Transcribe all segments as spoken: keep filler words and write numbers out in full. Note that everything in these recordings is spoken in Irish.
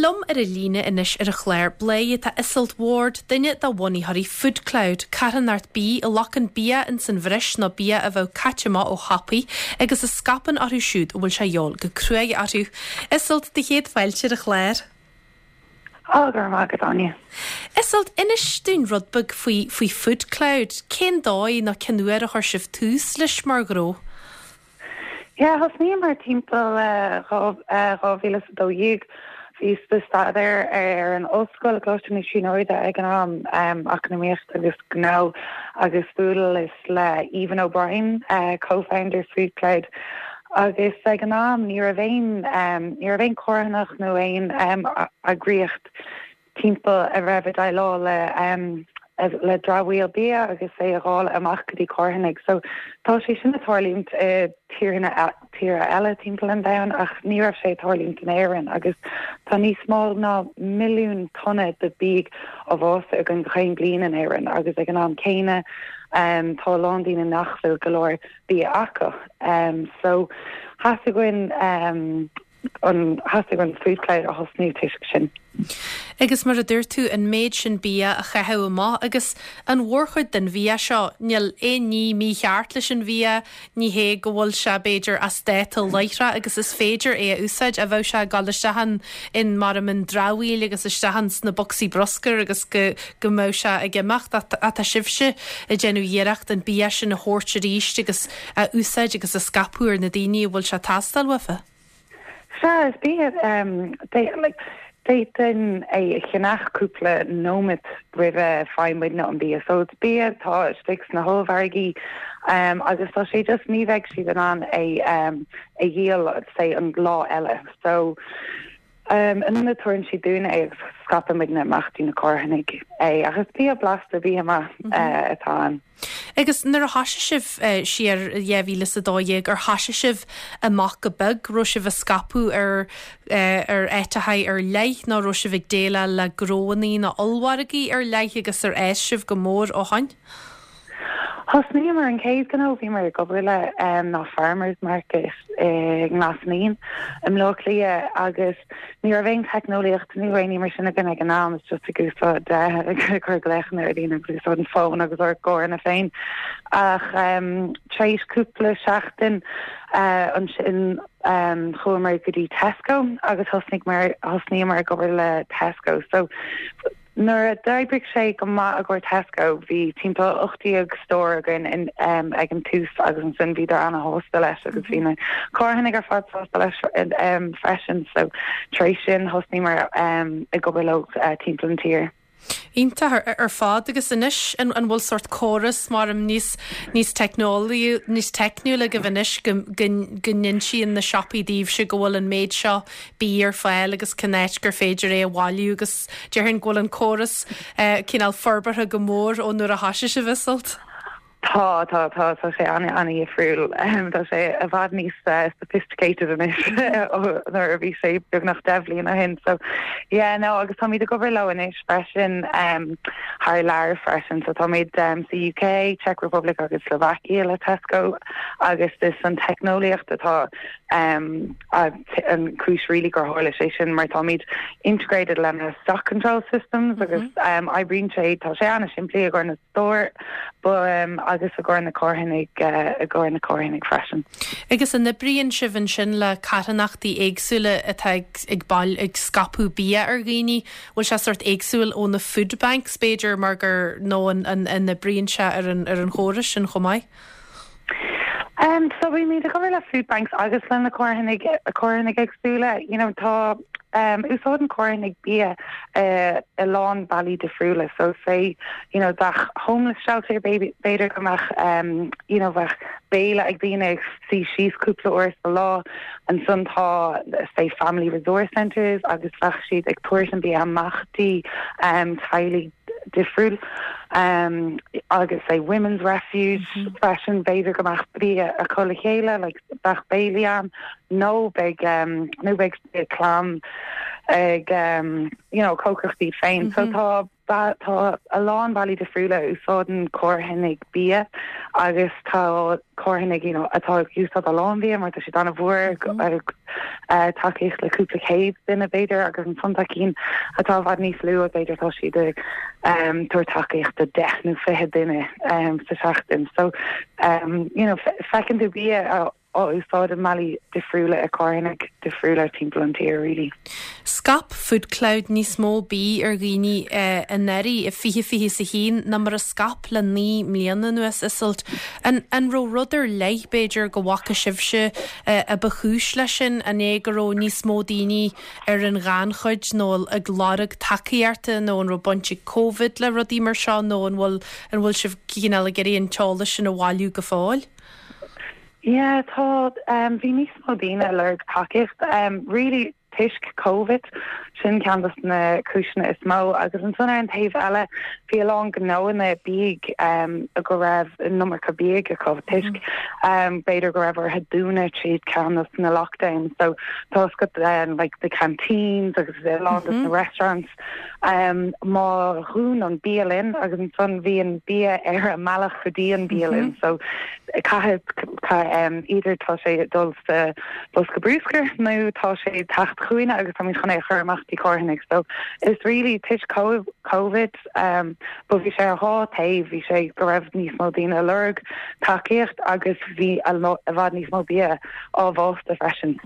Liom ar an líne anois ar an chlár Bladhaire tá Iseult Ward, duine de bhunaitheoirí Foodcloud, carthanacht bídh a ghlacann bia ins an bhreis nó bia a bheadh caite amach ó shiopaí agus a scaipeann orthu siúd a bhfuil sé de dhíobháil go cruaidh orthu. Iseult do chéad fáilte ar an chlár. Á gur maith Áine. Iseult inis dúinn rud beag faoi faoi Foodcloud, cén dóigh nó cén uair a chuir sibh tús leis mar ghnó? Ja, thosnaíomar timpeall dhá mhíle a dó dhéag bhíos ag staidéar ar an ollscoil Coláiste na Tríonóide ag an am um, eacnamaíocht agus gnó agus bhuaileas le Evan O'Brien, uh, co-founder Foodcloud. Agus ag an am ní raibh aon um, ní raibh aon charthanacht nó aon um, eagraíocht timpeall a raibh ag déileáil le um, le dramhaíl bia agus é a dháileadh amach go dtí carthanaigh. So tá sé sin ag tarlúint i tíortha tíortha eile timpeall an domhain ach ní raibh sé ag tarlúint in Éirinn agus tá níos mó ná milliún tonna de bia á bhfásadh againn gach bliain in Éirinn agus ag an am céanna um, tá lán daoine nach bhfuil go leor bia acu. Um, so theastaigh um, an theastaigh an Foodcloud a thosnú toisc sin. Agus mar a dúirt tú an méid sin bia a chaitheamh amach agus an mhórchuid den bhia seo níl aon ní mícheart leis an bhia ní hé go bhfuil sé b'fhéidir as dáta láithreach agus is féidir é a úsáid a bheadh sé ag dul isteach in mar an dramhaíl agus isteach sna boscaí bruscair agus go go mbeadh sé ag imeacht ach tá sibhse ag déanamh iarracht an bia sin a thabhairt arís agus a úsáid agus a scaipeadh ar na daoine a bhfuil sé ag teastáil uathu. Sea is bia um, like, D'fhéadfainn é a cheannach cúpla nóiméad roimhe faigheann muidne an bia. So it's bia tá istigh sna hollmhargaí um, agus tá sé just ní bheidh siad in ann é um, a dhíol say an lá eile. So um, an tugann siad dúinn é agus scaipeann muidne amach do na carthanaigh é agus bia blasta bia maith mm -hmm. uh, atá ann. Agus nuair a thosaigh sibh uh, siar dhá mhíle a dó dhéag ar thosaigh sibh amach go beag raibh sibh ag scaipeadh ar uh, ar áiteacha ar leith nó raibh sibh ag déileáil le gnóanna nó ollmhargaí ar leith agus ar fhás sibh go mór ó shin? Thosnaíomar an chéad ghnó bhíomar ag obair le um, ná Farmers Market i nGlas Naíon i mBaile Átha Cliath agus ní raibh aon teicneolaíocht nó aon ní mar sin againn ag an am is just ag úsáid chur glaochanna ar líne agus úsáid an fón agus ár gcarranna féin ach um, tar éis cúpla seachtain uh, ansin um, chuamar go dtí Tesco agus thosnaigh mar thosnaíomar ag obair le Tesco so Nuair a d'oibrigh sé go maith ag Tesco bhí timpeall ocht déag stór againn in um, ag an tús agus ansin bhí an-sásta leis agus bhí na carthanaigh ar fad sásta leis um, freisin so tar éis sin thosnaíomar um, ag obair leo uh, timpeall an tír. Iontach ar fad agus anois an an bhfuil sort córas mar am níos níos teicneolaí níos teicniúla agaibh anois go n-insíonn na siopaí daoibhse go bhfuil an méid seo bia ar fáil agus cén áit gur féidir é a bhailiú agus déarfainn go bhfuil an córas uh, cineál forbartha go mór ó nuair a thosaigh sibh Iseult. Tá tá tá tá sé an an-difriúil tá sé i bhfad níos uh, sophisticated anois nuair a bhí sé beagnach deich mbliana ó shin so yeah no agus táimid ag obair leo anois freisin um, thar lear freisin so táimid um, sa UK, Czech Republic agus Slovakia le Tesco agus is an teicneolaíocht atá um, an chúis really gur tharla sé sin mar táimid integrated lena stock control systems agus mm -hmm. um, oibríonn sé tá sé an-simplí i gcomhair na store but um, agus i gcomhair na carthanaigh uh, i gcomhair na carthanaigh freisin. Agus an oibríonn sibh ansin le carthanachtaí éagsúla atá ag, ag bail ag scaipeadh bia ar dhaoine, bhfuil sé sort éagsúil ó na food banks b'fhéidir mar gur nó an, an, an oibríonn sé ar an, ar an chóras sin chomh maith? Um, so bímid ag obair le food banks agus le na carthanaigh carthanaigh éagsúla, you know, tá um, úsáideann carthanaigh bia uh, a lán bealaí difriúla so say you know bheadh homeless shelter baby b'fhéidir go mbeadh um, you know bheadh béile ag daoine ag suí síos cúpla uair sa lá ansin tá say family resource centers agus bheadh siad ag tabhairt an bia amach dtí um, teaghlaigh difriúil um, agus say women's refuge mm -hmm. freisin b'fhéidir go mbeadh bia acu le chéile like bheadh béilí ann nó beidh um, nó beidh clann ag um, you know cócaireacht féin mm -hmm. so tá tá a lán bealaí difriúla úsáideann carthanaigh bia agus tá carthanaigh you know, atá ag úsáid a lán bia mar tá siad an-mhór mm -hmm. uh, tacaíocht le cúpla céad duine b'fhéidir agus ansan tá cinn atá i bhfad níos lú b'fhéidir tá siad um, tabhairt tacaíocht do deich nó fiche duine um, sa seachtain. So um, you know, feiceann tú bia á úsáid i mbealaí difriúla ag carthanaigh difriúla timpeall an tír really. Scaip Foodcloud níos mó bia ar dhaoine eh, anuraidh i fiche fiche is a haon ná mar a scaip le naoi mbliana anuas Iseult. An, an raibh rud ar leith b'fhéidir go bhfaca sibhse eh, a ba chúis leis sin an é go raibh níos mó daoine ar an ghannchuid nó ag lorg tacaíochta nó an raibh baint ag Covid le rudaí mar seo nó an bhfuil an bhfuil sibh cineál ag iarraidh an t-eolas sin a bhailiú go fóill? Yeah, tá um, bhí níos mó daoine lorg tacaíocht um, really toisc COVID sin ceann de na cúiseanna is mó agus ansan ar an taobh eile bhí a lán gnóanna beag um, go raibh an iomarca bia acu toisc um, b'fhéidir go raibh orthu dúnadh tríd ceann na lockdown so tá go um, like the canteens agus a lán mm -hmm. na restaurants um, má dhún an bialann agus ansan bhí an bia ar a mbealach go dtí an bialann mm -hmm. so caithfidh um, either tá sé dul sa bosca bruscair nó tá sé teacht chugainne agus tá chun é chur amach dtí carthanaigh so is really toisc COVID um, but bhí sé dhá taobh bhí sé go raibh níos mó daoine lorg tacaíocht agus bhí i bhfad níos mó bia á bhfásta freisin.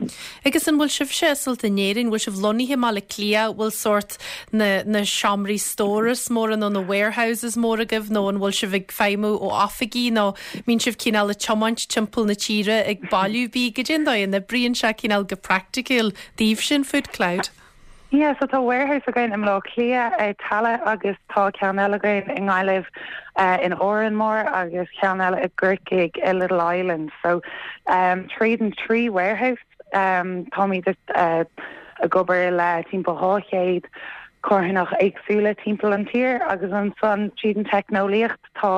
Agus an bhfuil sibhse Iseult in Éirinn, bhfuil sibh lonnaithe i mBaile Átha Cliath bhfuil sórt na, na seomraí stóras móra nó na warehouses mór agaibh nó an bhfuil sibh ag feidhmiú ó oifigí nó mbíonn sibh cineál ag tiomáint timpeall na tíre ag bailiú bídh go dtí an oibríonn sé cineál go praiticiúil daoibh sin Foodcloud. Yeah, so tá warehouse againn i mBaile Átha Cliath ag Tallaght agus tá ceann eile againn i nGaillimh uh, in Órán Mór agus ceann eile i gCorcaigh i Little Island. So um, tríd an trí warehouse um, táimid uh, ag obair le timpeall dhá chéad carthanach éagsúla timpeall an tír agus ansan tríd an teicneolaíocht tá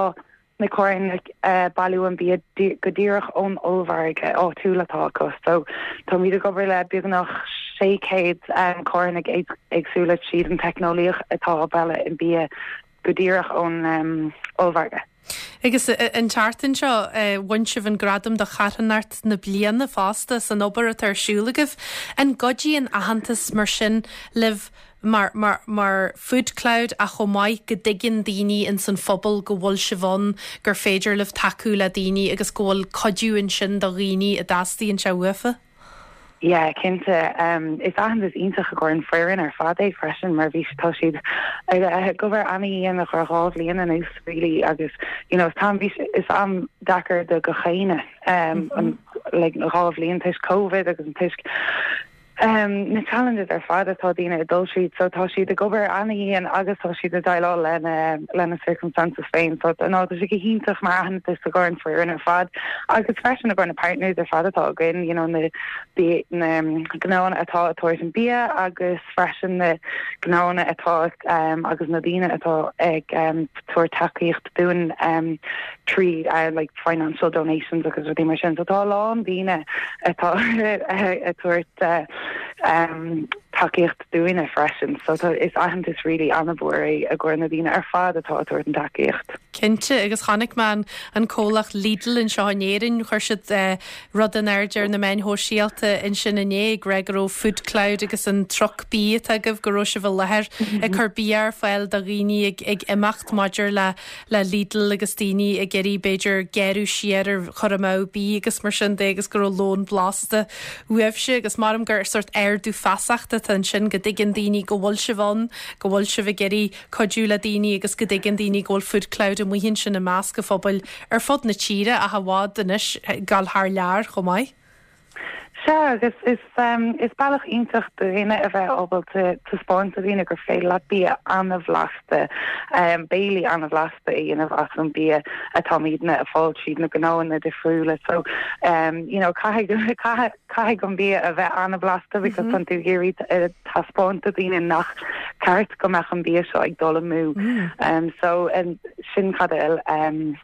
na carthanaigh uh, bailiú an bia go díreach ón ollmhargadh áitiúil atá acu. So táimid ag obair le beagnach sé chéad um, carthanaigh éagsúla tríd an teicneolaíocht atá bailiú an bia go díreach ón um, ollmhargadh. Agus an tseachtain seo bhain sibh an gradam do charthanacht na bliana fosta san obair atá ar siúl agaibh. An gcuidíonn aitheantas mar sin libh mar, mar, mar Foodcloud a chomh maith go dtuigeann daoine in san phobal go bhfuil sibh ann gur féidir libh tacú le daoine agus go bhfuil cuidiú ansin do dhaoine a dteastaíonn sé uafa? Yeah, cinnte um, is aitheantas iontach go an foireann ar fad é freisin mar bhí tá siad ag obair an-dian le dhá bhliain anuas really agus you know, tam bhí is am deacair do gach éinne um, mm -hmm. like, dhá bhliain toisc COVID agus an toisc Um, na challenges ar fad atá daoine ag dul tríd so tá siad ag obair an-dian agus tá siad ag déileáil lena lena circumstances féin so ná tá sé go hiontach mar aitheantas do an foireann ar fad agus freisin go na partners ar fad atá againn you know, na na gnóanna atá ag tabhairt an bia agus freisin na gnóanna atá um, agus na daoine atá ag um, tabhairt tacaíocht dúinn um, trí uh, like financial donations agus rudaí mar sin so tá lán daoine atá ag tabhairt uh, um, tacaíocht dúinne freisin, so tá is aitheantas really an-mhór é i gcomhair na daoine ar fad atá ag tabhairt an tacaíocht. Cinnte agus chonaic mé an comhlacht Lidl anseo in Éirinn chuir siad uh, rud in airde ar na meáin shóisialta ansin inné go raibh Foodcloud agus an truck bia agaibh go raibh sibh i láthair ag cur bia ar fáil do dhaoine ag, ag imeacht maidir le le Lidl agus daoine ag iarraidh b'fhéidir gearradh siar ar chur amú bídh agus mar sin de agus go raibh lón blasta uaibhse agus maram gur sórt ardú feasachta ansin go dtuigeann daoine go bhfuil sibh ann go bhfuil sibh ag iarraidh cuidiú le daoine agus go dtuigeann daoine go bhfuil Foodcloud amuigh ansin i measc an phobail ar fud na tíre a bhfad anois gal thar lear chomh maith. Sea agus is um, is bealach iontach dúinne a bheith ábalta taispeáint do dhaoine gur féidir leat bia an-bhlasta um, béilí an-bhlasta a dhéanamh as an bia atáimidne ag fáil tríd na gnóanna difriúla so um, you know, caithfidh caithfidh an bia a bheith an-bhlasta because mm -hmm. tú ag iarraidh taispeáint do dhaoine nach ceart go mbeadh an bia seo ag dul amú mm. um, so um, sin cad um,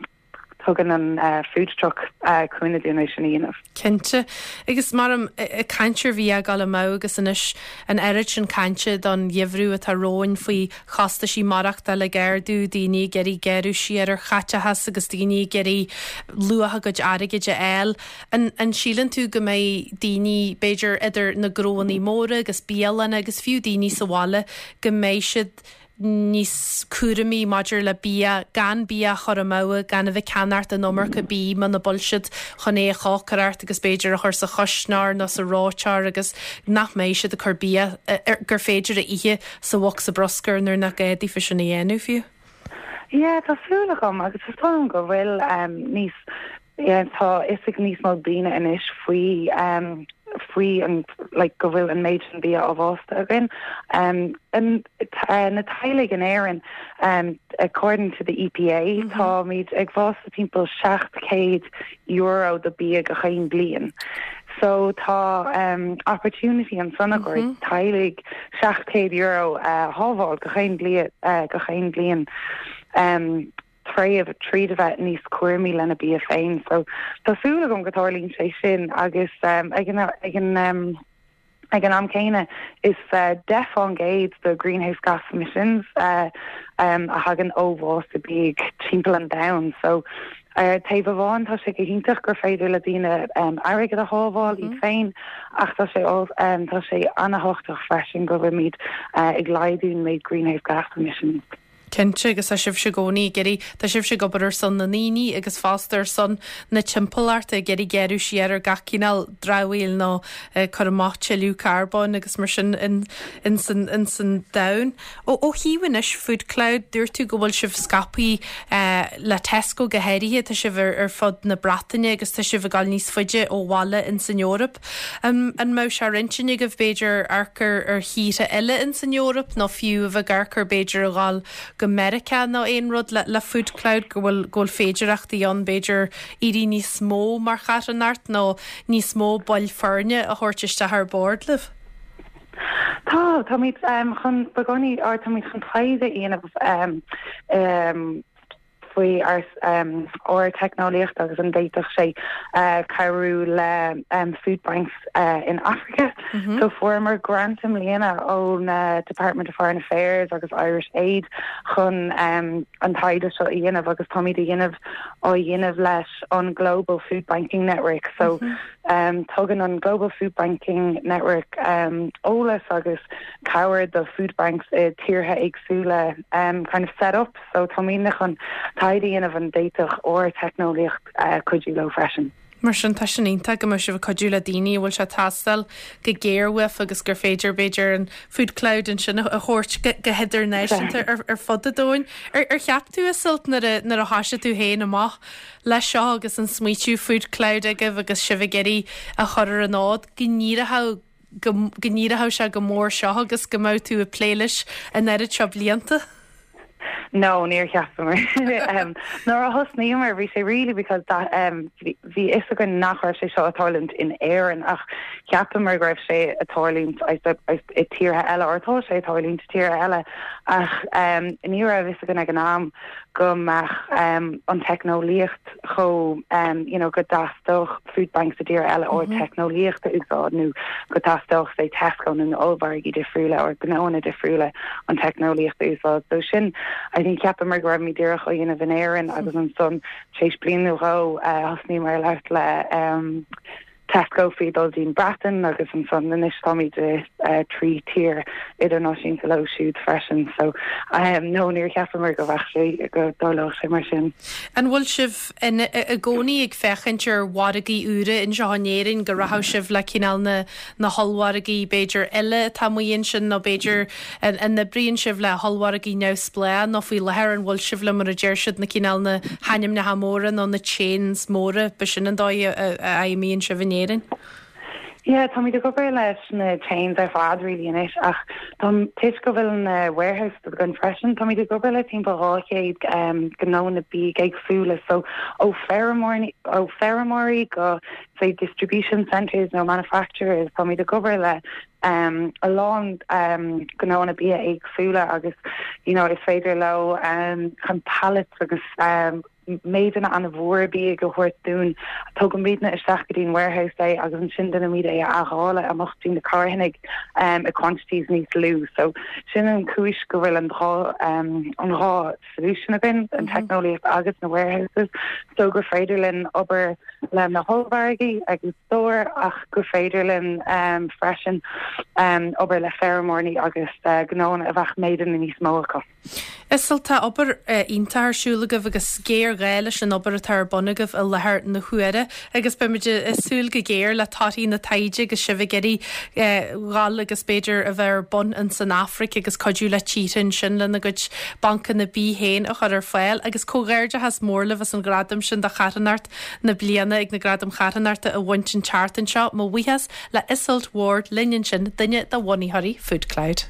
Tugann an uh, food truck uh, cúnamh dúinn é sin a dhéanamh. Cinnte agus mar ag caint ar bhia ag dul amú agus anois an oiread sin cainte don gheimhreadh atá romhainn faoi chostaisí maireachtála ag ardú daoine ag iarraidh gearradh siar ar chaiteachas agus daoine ag iarraidh luach a gcuid airgid a fháil. An, an síleann tú go mbeidh daoine b'fhéidir idir na gnóanna móra agus bialanna agus fiú daoine sa bhaile go mbeidh siad níos cúramaí maidir le bia gan bia a chur amú gan a bheith ag ceannacht an iomarca bídh muna bhfuil siad chun é a chócaireacht agus b'fhéidir a chur sa chuisneoir nó sa reoiteoir agus nach mbeidh siad ag cur bia gur féidir a ithe sa bhosca bruscair nuair nach gá daofa sin a dhéanamh fiú. Yeah, tá súil agam agus is dóigh go bhfuil um, níos yeah, tá fhios ag níos mó daoine anois faoi um, faoi an like, go bhfuil an méid sin bia á bhásta againn. Um, an, uh, na teaghlaigh in Éirinn um, according to the EPA mm -hmm. táimid ag bhásta timpeall seacht céad euro de bia gach aon bliain. So tá um, opportunity ansan mm -hmm. teaghlaigh seacht céad euro uh, shábháil gach aon bliain uh, gach aon bliain. Um, tréh tríd a bheith níos cúramaí lena bia féin, so tá súil agam go dtarlaíonn sé sin agus um, ag an ag an um, ag an am céanna is uh, deich faoin gcéad de greenhouse gas emissions uh, um, a thagann ó bhásta bídh timpeall an domhain so uh, taobh amháin tá sé go hiontach gur féidir le daoine um, airgead a shábháil mm -hmm. iad féin ach tá sé um, tá sé an-tábhachtach freisin go bhfuilimid uh, ag laghdú méid greenhouse gas emissions. Cinnte agus tá sibh i gcónaí ag iarraidh tá sibh ag obair ar son na ndaoine agus fosta ar son na timpeallachta ag iarraidh gearradh siar ar gach cineál dramhaíl nó uh, cur amach tuilleadh carbóin agus mar sin in, in san, in san domhan. Ó ó thaobh anois Food Cloud dúirt tú go bhfuil sibh scaipthe uh, le Tesco go háirithe tá sibh ar, ar fud na Breataine agus tá sibh ag dul níos faide ó bhaile in san Eoraip. Um, an mbeidh sé ar intinn agaibh b'fhéidir amharc ar thíortha eile in san Eoraip nó fiú a bheith amharc b'fhéidir a dhul go Meiriceá nó aon rud le, le Food Cloud go bhfuil go bhfuil féidireachtaí ann b'fhéidir éirí níos mó mar charthanacht nó níos mó baill foirne a thabhairt isteach ar bord libh. Tá táimid um, chun begóí á táimid chun taighde a dhéanamh um, um, faoi ár um, ár teicneolaíocht agus an bhféadfadh sé uh, cabhrú le um, food banks uh, in Africa. Mm -hmm. So fuaireamar grant i mbliana ón uh, Department of Foreign Affairs agus Irish Aid chun um, an taighde seo a dhéanamh agus táimid á dhéanamh á dhéanamh leis an Global Food Banking Network. So mm -hmm. um, tugann an Global Food Banking Network um, eolas agus cabhair do food banks i tíortha éagsúla um, kind of set up so táimid chun taighde a dhéanamh an bhféadfadh ár teicneolaíocht uh, cuidiú leo freisin. Mar sin tá sin iontach go mbeidh sibh ag cuidiú le daoine bhfuil sé ag teastáil go géar uaibh agus gur féidir b'fhéidir an Food Cloud ansin a thabhairt go hidirnáisiúnta ar, ar fud an domhain. Ar, ar cheap tú Iseult nuair a thosaigh tú féin amach leis seo agus an smaoitiú Food Cloud agaibh agus sibh ag iarraidh a chur ar an fhód go n-éireodh go n-éireodh sé go mór seo agus go mbeadh tú ag plé leis an oiread seo blianta? No, níor cheapamar. um, Nuair a thosnaíomar bhí sé really because that um, bhí fhios againn nach raibh sé seo ag tarlúint in Éirinn ach cheapamar go raibh sé ag tarlúint i tíortha eile or tá sé ag tarlúint i tíortha eile ach um, ní raibh fhios againn ag an am go mbeadh um, an teicneolaíocht chomh um, you know, go dteastódh food banks i dtír eile or mm -hmm. teicneolaíocht a úsáid nó go dteastódh sé Tesco nó na ollmhargaí difriúla or gnóanna difriúla an teicneolaíocht a úsáid. So sin I think cheapamar go raibh díreach á dhéanamh in Éirinn agus ansan tar éis bliain nó dhó thosnaíomar labhairt le um, Tesco faoi dul dtí'n Breatain agus ansan anois táimid uh, trí tír idirnáisiúnta leo siúd freisin so um, no níor cheapamar go bheadh sé go dtarlódh sé mar sin. An bhfuil sibh i gcónaí ag féachaint ar mhargaí úra anseo in Éirinn go rachadh sibh le cineál na na hollmhargaí b'fhéidir eile atá amuigh ansin nó b'fhéidir an n-oibríonn sibh le hollmhargaí neamhspleách nó faoi láthair an bhfuil sibh le mar a deir siad na cineál na hainmneacha móra nó na chains móra b'shin an dóigh a fheidhmíonn sibh in Éirinn? Yeah, táimid ag obair leis na chains ar fad really anois ach Tá toisc go bhfuil na warehouse againn freisin táimid ag obair le timpeall dhá chéad um, gnóanna bídh éagsúla so ó feirmeoirí ó feirmeoirí go say distribution centers nó manufacturers táimid ag obair le um, a lán um, gnóanna bia éagsúla agus you know, is féidir leo um, chun pallets agus um, méideanna an-mhór bídh a thabhairt dúinn tugaimidne isteach go dtí an warehouse é agus ansin déanaimid é a athdháileadh amach dtí na carthanaigh um, i quantities níos lú. So sin an chúis go bhfuil an dhá um, an dhá solution againn an mhm. teicneolaíocht agus na warehouses so gur féidir linn obair le na hollmhargaí agus stóir ach gur féidir linn um, freisin um, obair le feirmeoirí agus uh, gnónna a bheadh méideanna níos mó acu. Iseult tá obair uh, iontach ar siúl agaibh agus géarghá leis an obair atá ar bun agaibh i láthair na huaire agus beimid ag súil go géar le torthaí na taighde agus sibh ag iarraidh uh, dhul agus b'fhéidir a bheith ar bun in san Afraic agus cuidiú le tíortha ansin lena gcuid bancanna bídh féin a chur ar fáil agus comhghairdeachas mór libh as an gradam sin do charthanacht na bliana ag na Gradaim Charthanachta a bhaint an tseachtain seo mo bhuíochas le Iseult Ward linn ansin duine de bhunaitheoirí Food Cloud.